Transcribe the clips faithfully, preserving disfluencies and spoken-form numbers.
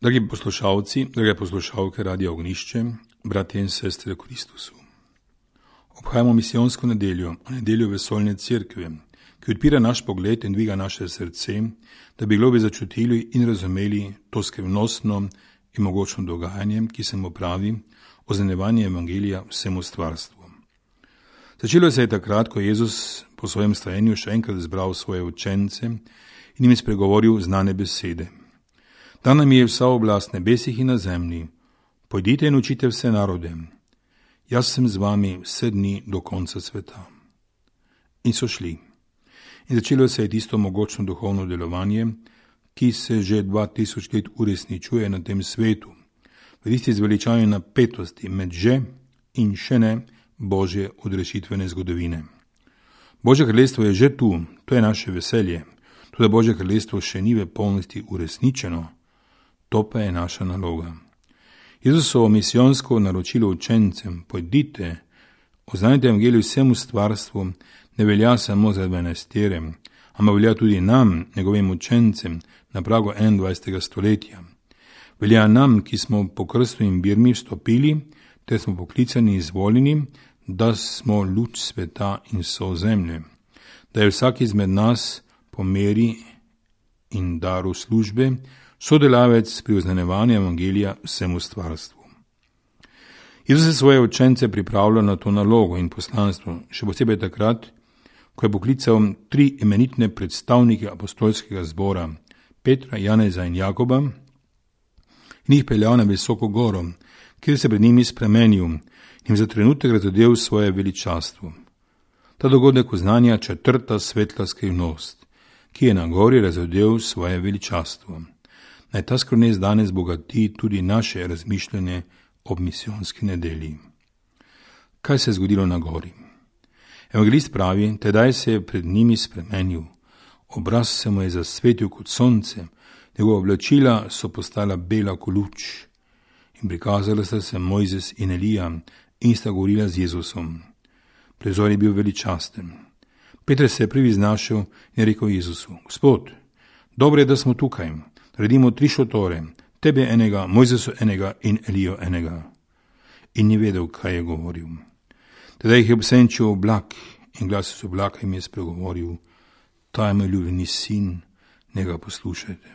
Dragi poslušalci, drage poslušalke Radia Ognišče, bratje in sestre v Kristusu. Obhajamo misijonsko nedeljo, nedeljo vesoljne cerkve, ki odpira naš pogled in dviga naše srce, da bi globi začutili in razumeli to skrivnostno in mogočno dogajanje, ki se mu pravi oznanjevanje evangelija vsemu stvarstvu. Začelo se je takrat, ko je Jezus po svojem stajenju še enkrat zbral svoje učence in jim spregovoril znane besede. Dana mi je vsa oblast nebesih in na zemlji, pojdite in učite vse narode, jaz sem z vami vse dni do konca sveta. In so šli. In začelo se je tisto mogočno duhovno delovanje, ki se že dva tisoč let uresničuje na tem svetu, v tisti zveličavi napetosti med že in še ne Božje odrešitvene zgodovine. Božje kraljestvo je že tu, to je naše veselje, tudi Božje kraljestvo še ni v polnosti uresničeno, to pa je naša naloga. Jezusovo misijonsko naročilo učencem, pojdite, oznanjite evangelij vsemu stvarstvu, ne velja samo za dvanajstere, ampak velja tudi nam, njegovim učencem, na pragu enaindvajsetega stoletja. Velja nam, ki smo po krstu in birmi vstopili, ter smo poklicani in izvoljeni, da smo luč sveta in sol zemlje, da je vsak izmed nas po meri in daru službe sodelavec pri oznanjevanju evangelija vsemu stvarstvu. Jezus je svoje učence pripravljal na to nalogo in poslanstvo, še posebej takrat, ko je poklical tri imenitne predstavnike apostolskega zbora, Petra, Janeza in Jakoba, in jih peljal na visoko goro, kjer se pred njimi spremenil in jim za trenutek razodel svoje veličastvo. Ta dogodek oznanja četrta svetla skrivnost, ki je na gori razodel svoje veličastvo. Naj ta skrivnost danes bogati tudi naše razmišljanje ob misijonski nedelji. Kaj se je zgodilo na gori? Evangelist pravi, tedaj se je pred njimi spremenil, obraz se mu je zasvetil kot sonce, njegova oblačila so postala bela kot luč in prikazala sta se Mojzes in Elija in sta govorila z Jezusom. Prizor je bil veličasten. Peter se je prvi znašel in rekel Jezusu, Gospod, dobro je, da smo tukaj, naredimo tri šotore, tebe enega, Mojzesu enega in Elijo enega. In ni vedel, kaj je govoril. Tedaj jih je obsenčil oblak in glas iz oblaka jim je spregovoril, ta je moj ljubljeni sin, ne ga poslušajte.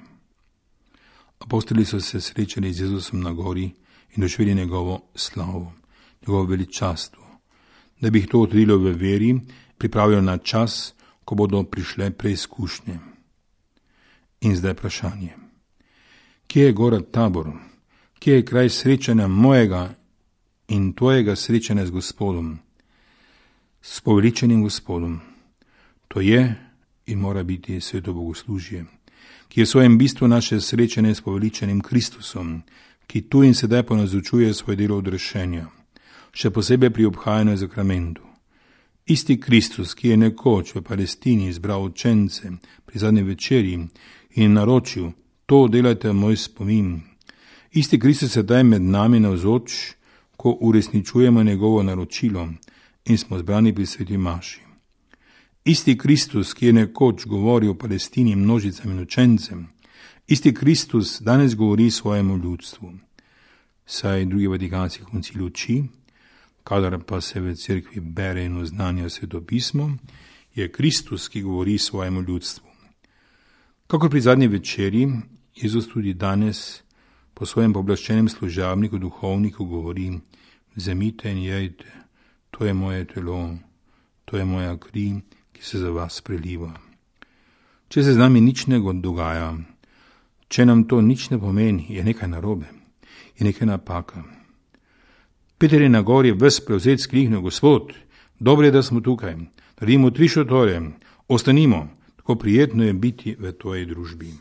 Apostoli so se srečali z Jezusom na gori in doživeli njegovo slavo, njegovo veličastvo, da bi jih to utrudilo v veri, pripravilo na čas, ko bodo prišle preizkušnje. In zdaj vprašanje. Kje je gora Tabor? Kje je kraj srečanja mojega in tvojega srečanja z Gospodom? S poveličenim Gospodom. To je in mora biti sveto bogoslužje, ki je v svojem bistvu naše srečanje s poveličenim Kristusom, ki tu in sedaj ponazočuje svoje delo odrešenja, še posebej pri obhajanju zakramentu. Isti Kristus, ki je nekoč v Palestini izbral učence pri zadnji večerji in naročil, to delajte moj spomin. Isti Kristus sedaj med nami navzoč, ko uresničujemo njegovo naročilo in smo zbrani pri sveti maši. Isti Kristus, ki je nekoč govoril o Palestini množicam in učencem, isti Kristus danes govori svojemu ljudstvu. Saj drugi vatikanski koncil uči, kadar pa se v cerkvi bere in oznanja svetopismo, je Kristus, ki govori svojemu ljudstvu. Kakor pri zadnji večeri, Jezus tudi danes po svojem pooblaščenem služabniku, duhovniku govori, vzemite in jejte, to je moje telo, to je moja kri, ki se za vas preliva. Če se z nami nič ne dogaja, če nam to nič ne pomeni, je nekaj narobe, je nekaj napaka. Peter je na gori ves prevzet skrihnil, Gospod, dobro je, da smo tukaj, naredimo tri šotore, ostanimo, tako prijetno je biti v tvoji družbi.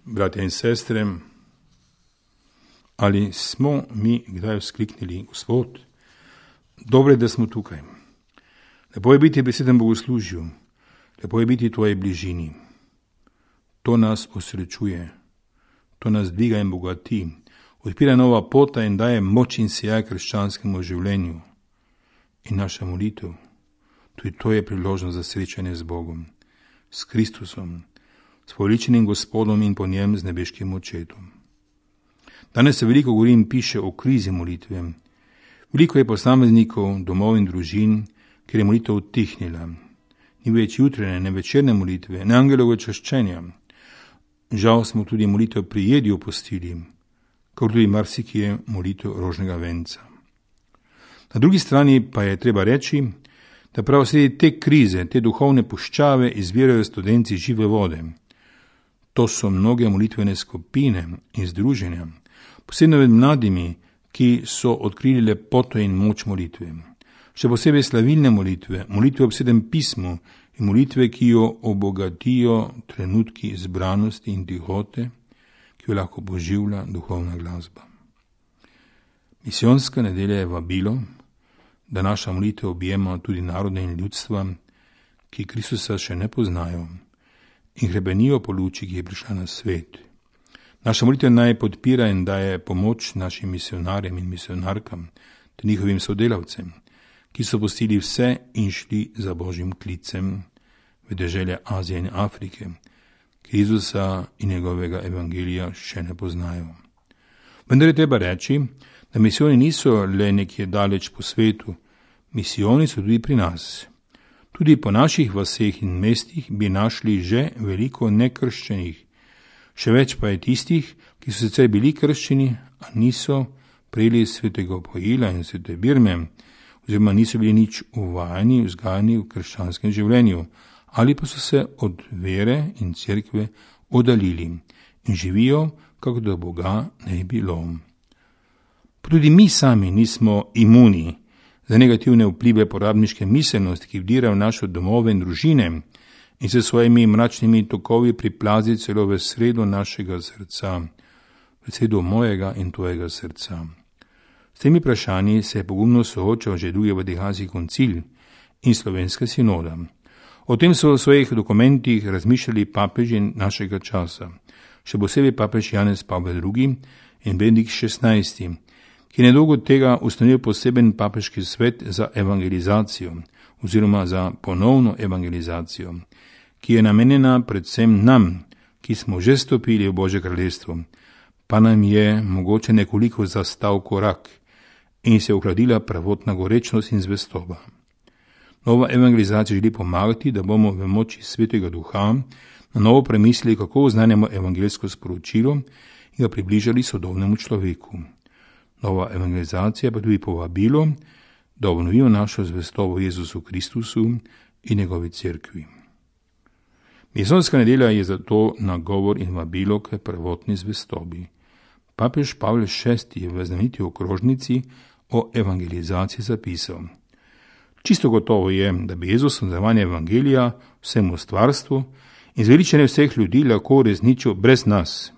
Bratje in sestre, ali smo mi kdaj vzkliknili, Gospod, dobro je, da smo tukaj. Lepo je biti pri svetem bogoslužju, lepo je biti v tvoji bližini. To nas osrečuje, to nas dviga in bogati, odpira nova pota in daje moč in sijaj krščanskemu življenju. In naša molitev, tudi to je priložnost za srečanje z Bogom, s Kristusom, s poveličenim Gospodom in po njem z nebeškim očetom. Danes se veliko govori in piše o krizi molitve. Veliko je posameznikov, domov in družin, kjer je molitev utihnila. Ni več jutranje, ne večerne molitve, ne angelovega čaščenja. Žal smo tudi molitev pri jedi opustili, kot tudi marsikje molitev rožnega venca. Na drugi strani pa je treba reči, da prav sredi te krize, te duhovne puščave izvirajo studenci žive vode. To so mnoge molitvene skupine in združenja, posebno med mladimi, ki so odkrili lepoto in moč molitve. Še posebej slavilne molitve, molitve ob sedem pismu in molitve, ki jo obogatijo trenutki izbranosti in tihote, ki jo lahko poživlja duhovna glasba. Misijonska nedelja je vabilo, da naša molitev objema tudi narode in ljudstva, ki Kristusa še ne poznajo in hrebenijo po luči, ki je prišla na svet. Naša molitev naj podpira in daje pomoč našim misionarjem in misionarkam ter njihovim sodelavcem, ki so pustili vse in šli za Božjim klicem v dežele Azije in Afrike, ki Jezusa in njegovega evangelija še ne poznajo. Vendar je treba reči, da misijoni niso le nekje daleč po svetu, misijoni so tudi pri nas. Tudi po naših vaseh in mestih bi našli že veliko nekrščenih, še več pa je tistih, ki so sicer bili krščeni, a niso prejeli svetega opojila in svete birme, oziroma niso bili nič uvajani, vzgajani v krščanskem življenju, ali pa so se od vere in cerkve oddaljili in živijo, kako da Boga ne bi bilo. Pa tudi mi sami nismo imuni za negativne vplive porabniške miselnosti, ki vdira v naše domove in družine in se svojimi mračnimi tokovi priplazi celo v sredo našega srca, v sredo mojega in tvojega srca. S temi vprašanji se je pogumno soočal že drugi Vatikanski koncil in Slovenska sinoda. O tem so v svojih dokumentih razmišljali papeži našega časa, še posebej papež Janez Pavel drugi in Benedikt šestnajsti, ki je nedolgo tega ustanovil poseben papeški svet za evangelizacijo oziroma za ponovno evangelizacijo, ki je namenjena predvsem nam, ki smo že stopili v Božje kraljestvo, pa nam je mogoče nekoliko zastal korak in se ohladila prvotna gorečnost in zvestoba. Nova evangelizacija želi pomagati, da bomo v moči Svetega Duha na novo premislili, kako oznanjamo evangeljsko sporočilo in ga približali sodobnemu človeku. Nova evangelizacija pa tudi povabilo, da obnovijo našo zvestobo Jezusu Kristusu in njegovi cerkvi. Misijonska nedelja je zato nagovor in vabilo k prvotni zvestobi. Papež Pavel šesti je v znameniti okrožnici o evangelizaciji zapisal: Čisto gotovo je, da bi Jezus nadaljevanje evangelija vsemu stvarstvu in zveličanje vseh ljudi lahko uresničil brez nas.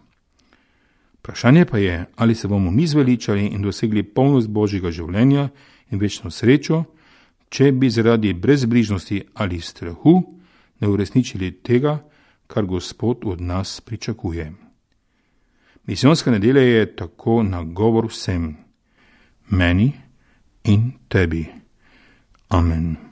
Vprašanje pa je, ali se bomo mi zveličali in dosegli polnost Božjega življenja in večno srečo, če bi zaradi brezbrižnosti ali strahu ne uresničili tega, kar Gospod od nas pričakuje. Misijonska nedelja je tako nagovor vsem, meni in tebi. Amen.